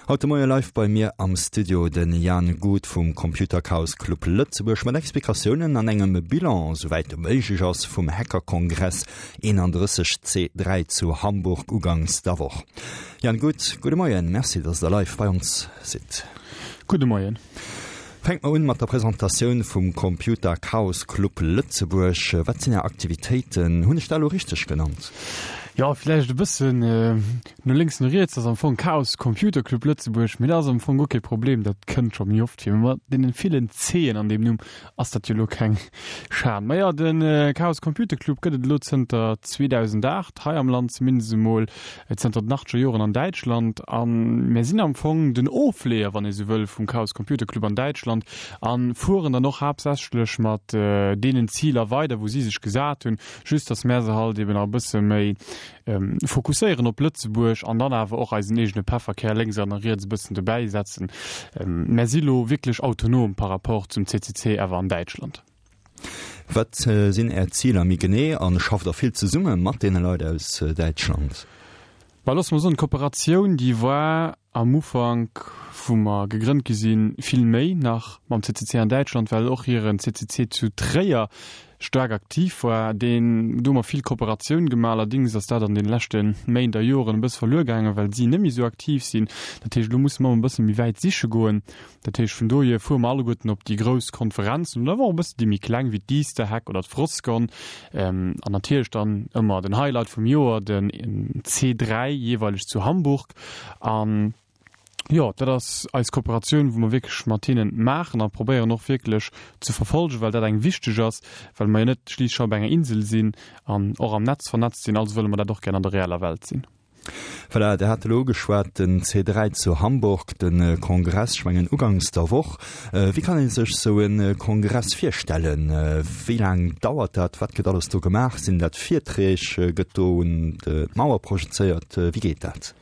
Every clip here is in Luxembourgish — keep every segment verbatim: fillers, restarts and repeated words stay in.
Haut de Moie live bei mir am Studio den Jan Guth vum Computer Chaos Club Lëtzebuerg mat Explikatiounen an engem Bilan, souwäit e méiglech ass, vum Hackerkongress eenanddrësseg C dräi zu Hamburg ugangs der Woch. Jan Guth, gudde Moien, Merci, dass der live bei ons sidd. Gudde Moien. Fänke mer un mat der Presentatioun vum Computer Chaos Club Lëtzebuerg. Wat sinn Är Aktivitéiten? Hunn ech dat elo richteg genannt? Jo, villäicht e bëssen no lénks, no riets. Ass am Fong Chaos Computer Club Lëtzebuerg, mee dat ass am Fong guer kee Problem, dat kënnt scho méi oft vir. Mee mat deenen villen C'en an deem Numm ass dat jo elo keng Schan. Ma jo, de Chaos Computer Club gëtt et elo zënter zweedausendacht hei am Land, zumindest emol zënter den achteger Joren an Däitschland. A mir sinn am Fong den Ofleeër, wann ee sou wëll, vum Chaos Computer Club an Däitschland a fueren dann och haaptsächlech mat deenen Ziler weider, wou si sech gesat hunn, just dass mär se halt eben nach e bësse méi fokusséieren op Lëtzebuerg an dann awer och eisen eegene Pefferkär lénks an riets e bëssen dobäi setzen. Mär si lo wierklech autonom par rapport zum C C C awer an Däitschland. Wat sinn Är Ziler méi genee a schafft Der vill zesumme mat deene Leit aus Däitschland? Bah, loosse mer soen, d'Kooperatioun, déi war am Ufank, wou mer gegrënnt gi sinn, vill méi nach mam C C C an Däitschland, well och hiren C C C zu Tréier staark aktiv war. Deen, do hu mer vill Kooperatioun gemaach. Allerdéngs ass dat an deene leschte Méint a Joren e bësse verluer gaangen, well si net méi esou aktiv sinn. Dat heescht, elo musse mer e bësse méi wäit siche goen. Dat heescht, vun dohier fuere mer alleguerten op déi grouss Konferenzen oder awer och e bësse déi méi kleng wéi d'Easterhack oder d'Froscon. An natierlech dann ëmmer den Highlight vum Joer, den C dräi jeeweileg zu Hamburg. An jo, dat ass eis Kooperatioun, wou mer wierklech mat hinnen maachen a probéieren och wierklech ze verfolgen, well dat eng wichteg ass, well mer jo net schliisslech op enger Insel sinn an och am Netz vernetzt sinn. Also wëlle mer dat och gär an der reeller Welt sinn. Voilà, Der hat elo ugeschwat, den C dräi zu Hamburg, de Kongress, ech mengen ugangs der Woch. Wéi kann ee sech esou e Kongress virstellen? Wéi laang dauert dat? Wat gëtt alles do gemaach? Sinn dat Virträg? Gëtt do un d'Mauer projezéiert? Wéi geet dat?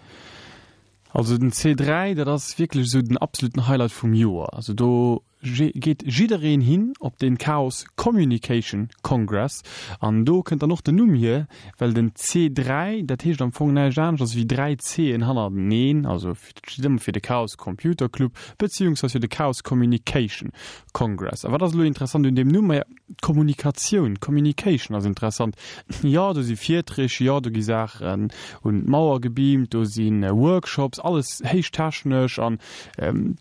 Also den C dräi, dat ass wierklech esou den absoluten Highlight vum Joer. Also do geet jiddereen hin op den Chaos Communication Congress an do kënnt dann och den Numm hier, well den C dräi, dat heescht am Fong näischt aneschters wéi dräi C'en hannerteneen, also dat steet ëmmer fir de Chaos Computer Club beziehungsweise fir de Chaos Communication Congress. A wat ass elo interessant un deem Numm? Maja, d'Kommunikatioun, Communication ass interessant. Jo, do si Virträg, jo, do gi Saachen un d'Mauer gebeamt, do si Workshops, alles héich technesch an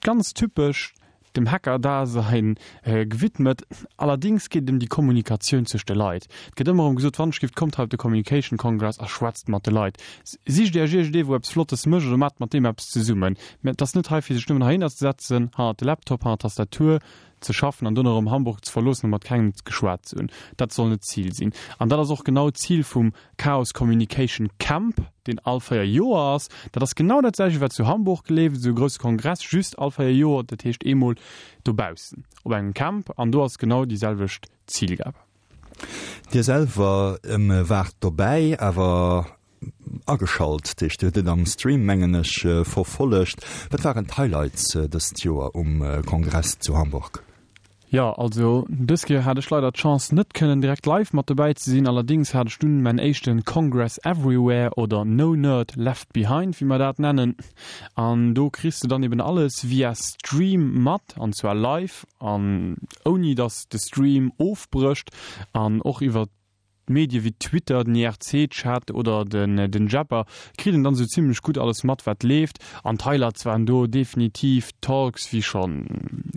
ganz typesch dem Hacker-Dasein gewidmet. Allerdings geet et ëm déi Kommunikatioun zwëscht de Leit. Et gëtt ëmmer erëm gesot, wann ech giff, kommt hei op de Communication Congress a schwätzt mat de Leit. Sicht Iech iergendee wou eppes Flottes mécht oder maacht mat deem eppes zesummen. Mä et ass net hei fir sech nëmmen heihinner ze setzen, hannert de Laptop, hannert d'Tastatur ze schaffen an dono erëm Hamburg ze verloossen a mat kengem geschwat ze hunn. Dat soll net d'Zil sinn. An dat ass och genau d'Zil vum Chaos Communication Camp, deen all véier Joer ass. Dat ass genau dat selwecht, wat zu Hamburg leeft, esou e grousse Kongress, just all véier Joer, dat heescht eemol dobaussen op engem Camp. An do ass genau déi selwecht Zilgab. Dir selwer waart dobäi, awer ageschalt, dat heescht Dir hutt et am Stream, mengen ech, verfollegt. Wat waren d'Highlights dëst Joer um Kongress zu Hamburg? Jo, also dës Kéier hat ech leider d'Chance net kënnen direkt live mat dobäi ze sinn. Allerdings hat ech dunn mäin éischte Congress Everywhere oder No Nerd Left Behind, wéi mer dat nennen. An do kriss de dann eben alles via Stream mat, an zwar live an ouni dass de Stream ofbrécht an och iwwer Medie wéi Twitter, den I R C-Chat oder den den Jabber kritt een dann sou zimlech gutt alles mat wat leeft. An d'Highlights waren do definitiv d'Talks, wéi schonn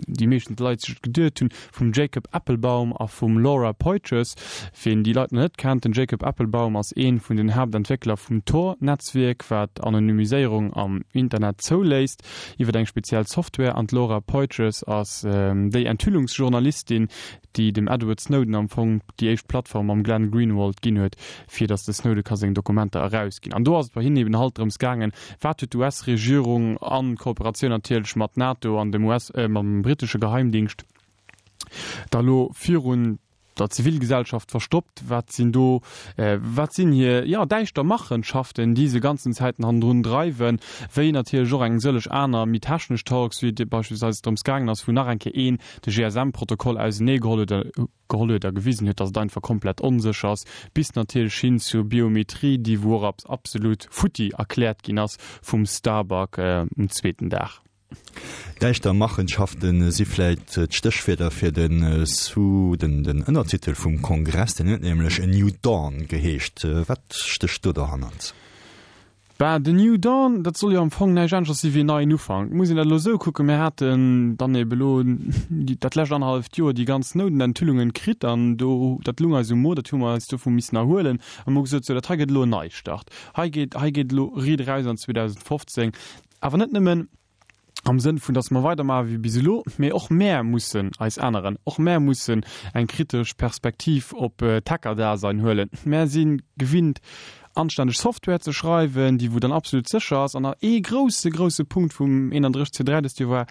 déi meeschten Leit sech et geduet hunn, vum Jacob Appelbaum a vum Laura Poitras. Wien déi Leit nach net kennt, den Jacob Appelbaum ass een vun den Haaptentwéckler vum Tor-Netzwierk, wat Anonymiséierung am Internet zouléisst iwwer eng speziell Software, an d'Laura Poitras ass déi Enthüllungsjournalistin, déi dem Edward Snowden am Fong déi éischt Plattform mam Glenn Greenwald ginn huet, fir datt de Snowde ka seng Dokumenter erausginn. An do ass et bei hinnen eben halt drëms gaangen, wat huet d'U S-Regierung a Kooperatioun natierlech mat NATO an dem U S, mam britesche Geheimdingscht da lo virun der Zivilgesellschaft verstoppt, wat sinn do, wat sinn hir, jo, däischter Machenschaften, déi se ganzen Zäiten hannendrun dreiwen, wéi natierlech och eng sëlleg aner méi technesch Talks, wéi et beispillsweis drëms gaangen ass, wou nach eng Kéier een de G S M-Protokoll ausenee geholl huet, geholl huet a gewisen huet, datt et einfach komplett onsécher ass, bis natierlech hin zur Biometrie, déi wou och absolut futti erkläert ginn ass vum Starbuck um zweeten Dag. Däischter Machenschaften si vläit d'Stéchwierder fir den Sous, den den Ënnertitel vum Kongress, deen huet nämlech A New Dawn geheescht. Wat stécht do dohannert? Bah, The New Dawn, dat soll jo am Fong näischt aneschters si wéi en neien Ufank. Muss een dat elo esou kucken, mir haten dann ebe elo dat lescht annerhalleft Joer déi ganz Snowden-Enthüllungen kritt an do, dat lung eis um Mo, dat hu mer eis dovu missen erhuelen a mir hu gesot, sou, dat hei gëtt elo en Neistart. Hei geet, hei geet elo riit eraus an zweedausendfofzéng. Awer net nëmmen am Sënn vun, dass mer weidermaache wéi bis elo, mee och mär mussen eis änneren, och mär mussen eng kritesch Perspektiv op d'Hackerdasein huelen. Mär si gewinnt, anstänneg Software ze schreiwen, déi wou dann absolut sécher ass. An ee grousse, grousse Punkt vum eenandrësseg C dräi dëst Joer war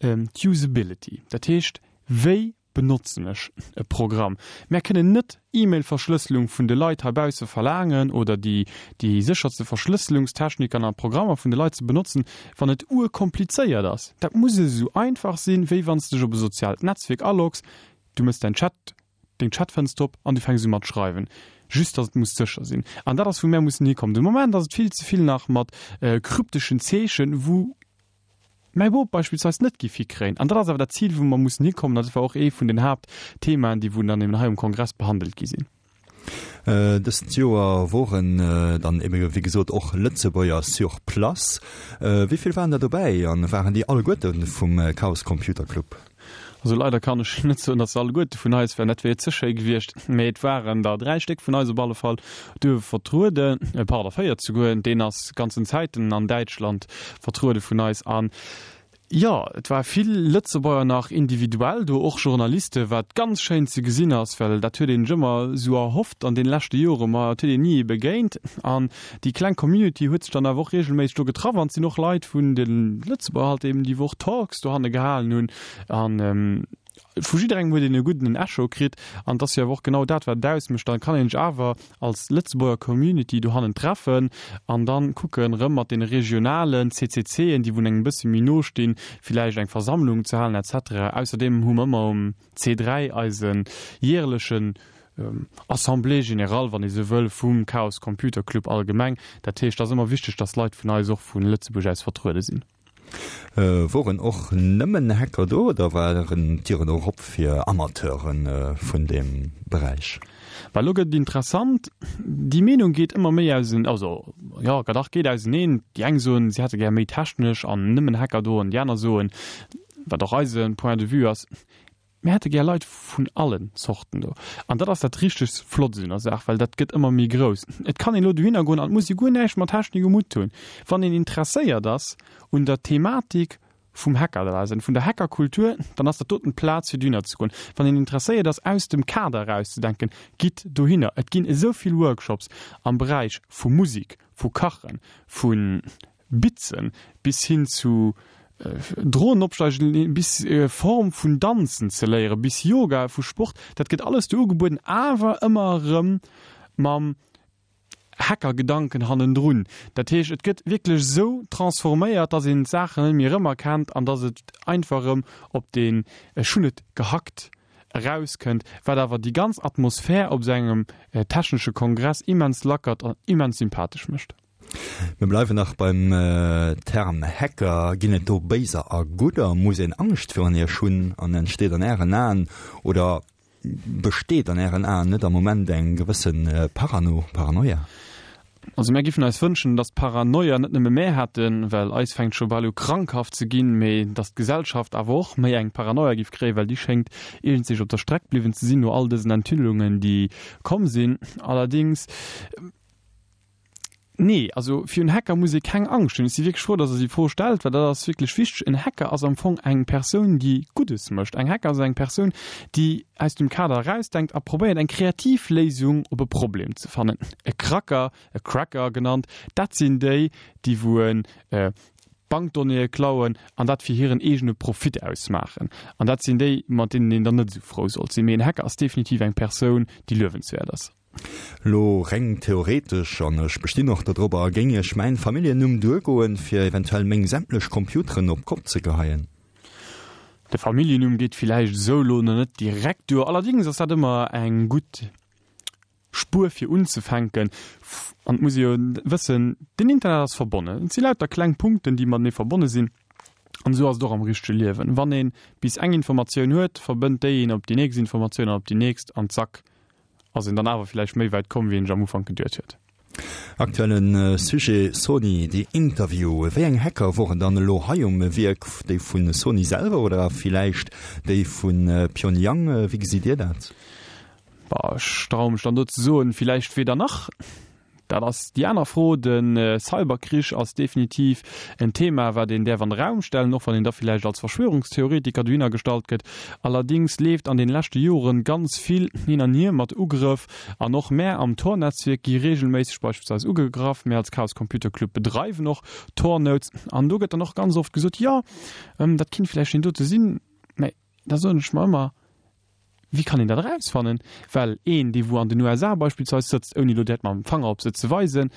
d'Usability, dat heescht, wéi benotzen ech e Programm? Mär kënnen net E-Mail-Verschlësselung vun de Leit heibausse verlaangen oder déi déi sécherste Verschlësselungstechniken a Programmer vun de Leit ze benotzen, wann et urkomplizéiert ass. Dat muss esou einfach sinn, wéi wann s de dech op e soziaalt Netzwierk aloggs, du méchs däin Chat, deng Chatfënster op an du fänks u mat schreiwen. Just datt et muss sécher sinn. An dat ass wou mär mussen hikommen. De Moment ass et vill ze vill nach mat krypteschen Zeechen, wou mäi Bop beispillsweis net giff hikréien. An dat ass awer dat Zil, wou mer mussen hikommen. Dat war och ee vun den Haaptthemaen, déi wou dann eben hei um Kongress behandelt gi sinn. Dëst Joer woren dann ebe wéi gesot och Lëtzebuerger sur place. Wéi vill waren der dobäi an waren déi alleguerte vum Chaos Computer Club? Also leider kann ech net soen, datt se alleguerte vun eis waren, dat wier ze schéi gewiescht, mee et waren der dräi Stéck vun eis op alle Fall do vertrueden, pardon, véier souguer, deen ass ganzen Zäiten an Däitschland vertruede vun eis. An jo, et war vill Lëtzebuerger nach individuell do, och Journaliste, wat ganz schéin ze gesinn ass, well dat huet een sech ëmmer esou erhofft an deene leschte Joren, ma et huet een ni ee begéint. An déi kleng Community huet sech dann awer och reegelméisseg do getraff an et sinn och Leit vun de Lëtzebuerger halt eben, déi wou och Talks dohanne gehalen hunn an vu jidderengem huet een e gudden Echo kritt an et ass jo awer och genau dat wat et ausmécht. Dann kann een sech awer als Lëtzebuerger Community dohannen treffen an dann kucken erëm mat deene regionalen C C C'en, déi wou engem e bësse méi no stinn, villäicht eng Versammlung ze halen et cetera. Ausserdeem hu mer ëmmer um C dräi eise jäerlechen Assemblée générale, wann ee sou wëll, vum Chaos Computer Club allgemeng. Dat heescht, et ass ëmmer wichteg, dass Leit vun eis och vu Lëtzebuerg aus vertruede sinn. Woren och nëmmen Hacker do oder waren d'Dieren och op fir Amateure vun deem Beräich? Bah, elo gëtt et interessant. Déi Meenung geet ëmmer méi ausen, also jo, dach geet auseneen. Déi eng soen, si hätte gär méi technesch an nëmmen Hacker do an déi aner soen, wat och eise Point de vue ass, Mir hätte gär Leit vun allen Zorten do. An dat ass dat richteg Flott un der Saach, well dat gëtt ëmmer méi grouss. Et kann een elo dohinner goen an et muss ee guer näischt mat Technik um Hutt hunn. Wann een interesséiert ass un der Thematik vum Hackerdasein, vun der Hackerkultur, dann ass dat doten d'Plaz fir dohinner ze goen. Wann een interesséiert ass aus dem Kader erauszedenken, gitt dohinner. Et ginn esou vill Workshops am Beräich vu Musik, vu Kachen, vu Bitzen bis hin zu Dronen opsteigen, bis Form vun Danzen ze léieren, bis Yoga, vu Sport, dat gëtt alles do ugebueden, awer ëmmer erëm mam Hackergedanken hannendrun. Dat heescht, et gëtt wierklech esou transforméiert, dass een d'Saachen net méi erëmerkennt an dass et einfach erëm op deen Ech hunn et gehackt erauskënnt, wat awer déi ganz Atmosphär op esou engem technesche Kongress immens lackert an immens sympathesch mécht. Mir bleiwen nach beim Term Hacker. Ginn et do Béiser a Gudder? Muss een Angscht virun iech hunn an entsteet an Ären Aen oder besteet an Ären Aen net am Moment eng gewësse Parano, Paranoia? Also mär giffen eis wënschen, datt d'Paranoia net nëmme mär hätten, well eis fänkt scho bal u krankhaft ze ginn, mee datt d'Gesellschaft awer och méi eng Paranoia giff kréien, well déi schéngt iergendzich op der Streck bliwwen ze sinn no all dësen Enthüllungen, déi komm sinn. Allerdings. Nee, also virun Hacker muss ee keng Angscht hunn. Ech si wierklech frou, dass Der déi Fro stellt, well dat ass wierklech wichteg. En Hacker ass am Fong eng Persoun, déi Guddes mécht. Eng Hacker ass eng Persoun, déi aus dem Kader erausdenkt a probéiert, eng kreativ Léisung op e Problem ze fannen. E Kracker, e Cracker genannt, dat sinn déi, déi wou en Bankdonnéeë klauen an dat fir hiren eegene Profit ausmaachen. An dat sinn déi, mat deenen een dann net esou frou sollt sinn. Mee en Hacker ass definitiv eng Persoun, déi luewenswäert ass. Lo reng theoretesch, an ech bestinn och dodrobber, géing Iech mäin Familljennumm duergoen, fir eventuell meng sämtlech Computeren op d'Kopp ze geheien? De Familljennumm geet villäicht esou lo nach net direkt duer. Allerdings ass dat ëmmer eng gutt Spuer fir unzefänken. An et muss ee jo wëssen, den Internet ass verbonnen. Et si lauter kleng Punkten, déi matenee verbonne sinn. An esou ass et och am richtege Liewen. Wann ee bis eng Informatioun huet, verbënnt déi een op déi nächst Informatioun an op déi nächst an zack ass een dann awer villäicht méi wäit komm, wéi een sech am Ufank geduet huet. Aktuellen Sujet, Sony, The Interview. Wéi eng Hacker woren dann elo hei um Wierk? Déi vu Sony selwer oder villäicht déi vu Pyongyang? Wéi gesitt Dir dat? Bah, ech traue mech dann do ze soen, villäicht weder nach. Dat ass déi aner Fro. De Cyberkrich ass definitiv en Thema, wat een däerf an de Raum stellen, och wann een da villäicht als Verschwörungstheoretiker dohinner gestallt gëtt. Allerdings leeft an den leschte Joren ganz vill hin an hier mat Ugrëff an och mär am Tor-Netzwierk gi regelméisseg beispillsweis ugegraff. Mär als Chaos Computer Club bedreiwen och Tor-Nodes an do gëtt dann och ganz oft gesot, jo, dat kinnt villäicht deen dote sinn. Mä da soen ech mer ëmmer, Wéi kann een dat erausfannen? Well een, dee wou an den U S A beispillsweis sëtzt, ouni elo direkt mam Fanger op se ze weisen,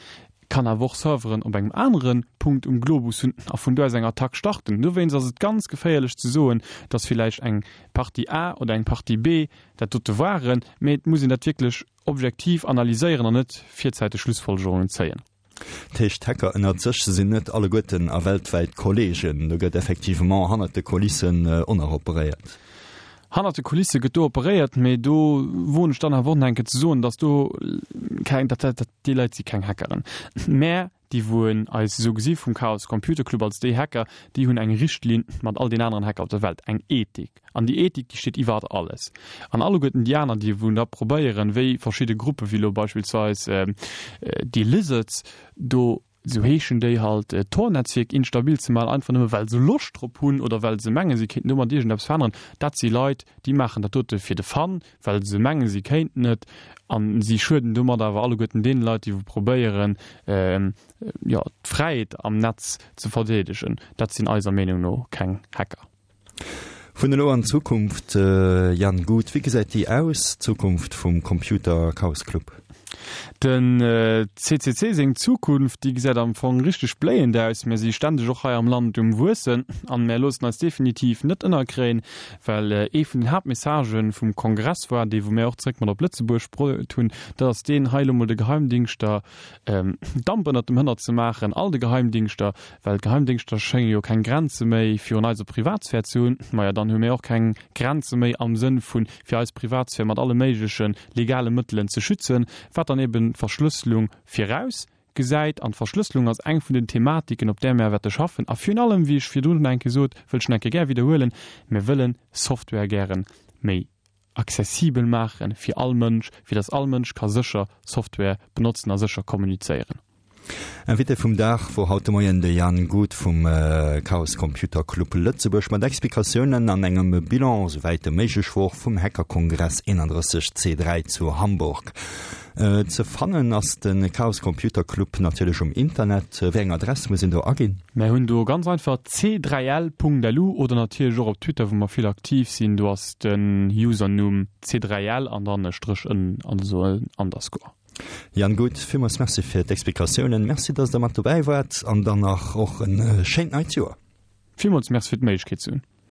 kann awer och Serveren op engem anere Punkt um Globus hunn a vun do aus eng Attack starten. Dowéinst ass et ganz geféierlech ze soen, datt villäicht eng Partie A oder eng Partie B dat dote waren, mee et muss een dat wierklech objektiv analyséieren an net virzäiteg Schlussfolgerungen zéien. Dat heescht, d'Hacker ënnert sech sinn net alleguerten a weltwäit Kolleegen. Do gëtt effectivement hannert de Kulissen och nach operéiert. Hannert de Kulisse gëtt do operéiert, mee do woen ech dann awer och nach eng Kéier ze soen, datt do keng, dat, dat, déi Leit si keng Hackeren, mä déi wou eis esou gesi vum Chaos Computer Club als déi Hacker, déi hunn eng Richtlinn mat all den aneren Hacker op der Welt, eng Ethik. An déi Ethik, déi steet iwwert alles. An alleguerten déi aner, déi wou da probéieren, wéi verschidde Gruppe wéi elo beispillsweis déi Lizards do, esou heeschen déi halt, d'Tor-Netzwierk instabil ze maachen, einfach nëmme well se Loscht drop hunn oder well se mengen, se kéinten domat iergendeppes veränneren. Dat si Leit, déi maachen dat dote fir de Fun, well se mengen, se kéinten et, a si schueden domat awer alleguerten deene Leit, déi wou probéieren, jo, d'Fräiheet am Netz ze verdeedegen. Dat sinn eiser Meenung no keng Hacker. Vun elo an d'Zukunft, Jan Guth, wéi gesäit déi aus, d'Zukunft vum Computer Chaos Club? Den C C C seng Zukunft, déi gesäit am Fong richteg bléiend aus. Mir si ständeg och hei am Land um Wuessen an mär loossen eis definitiv net ënnerkréien, well ee vun den Haaptmessagen vum Kongress war, dee wou mär och zréck mat op Lëtzebuerg bruet hunn, dat ass deen, hei elo mol de Geheimdingschter Damp ënnert dem Hënner ze maachen, all de Geheimdingschter, well d'Geheimdingschter schénge jo keng Grenze méi virun eiser Privatsphär ze hunn. Maja, dann hu mir och keng Grenze méi am Sënn vun, fir eis Privatsphär mat alle méigleche legale Mëttelen ze schützen, wat dann eben d'Verschlësselung viraus gesäit. An d'Verschlësselung ass eng vun den Thematiken, op där mir wäerte schaffen. A virun allem, wéi ech virdrun schon eng Kéier sot, wëll ech nach eng Kéier gär widderhuelen, Mir wëllen Software gäre méi accessibel maache fir all Mënsch, fir dass all Mënsch ka sécher Software benotzen a sécher kommunizéieren. Invité vum Dag wor haut de Moien de Jan Guth vum Chaos Computer Club Lëtzebuerg mat Explikatiounen an engem Bilan, souwäit e méiglech wor, vum Hackerkongress eenandrësseg C dräi zu Hamburg. Ze fannen ass de Chaos Computer Club natierlech um Internet. Wéi eng Adress muss een do aginn? Mär hunn do ganz einfach c dräi l Punkt lu oder natierlech och op Twitter, wou mer vill aktiv sinn, do ass den Usernumm c dräi l an dann e Stréch ënnen, also en Underscore. Jan Guth, villmools Merci fir d'Explikatiounen. Merci, dass Der mat dobäi waart an dann nach och en schéint neit Joer. Villmools Merci fir d'Méiglechkeet ze hunn.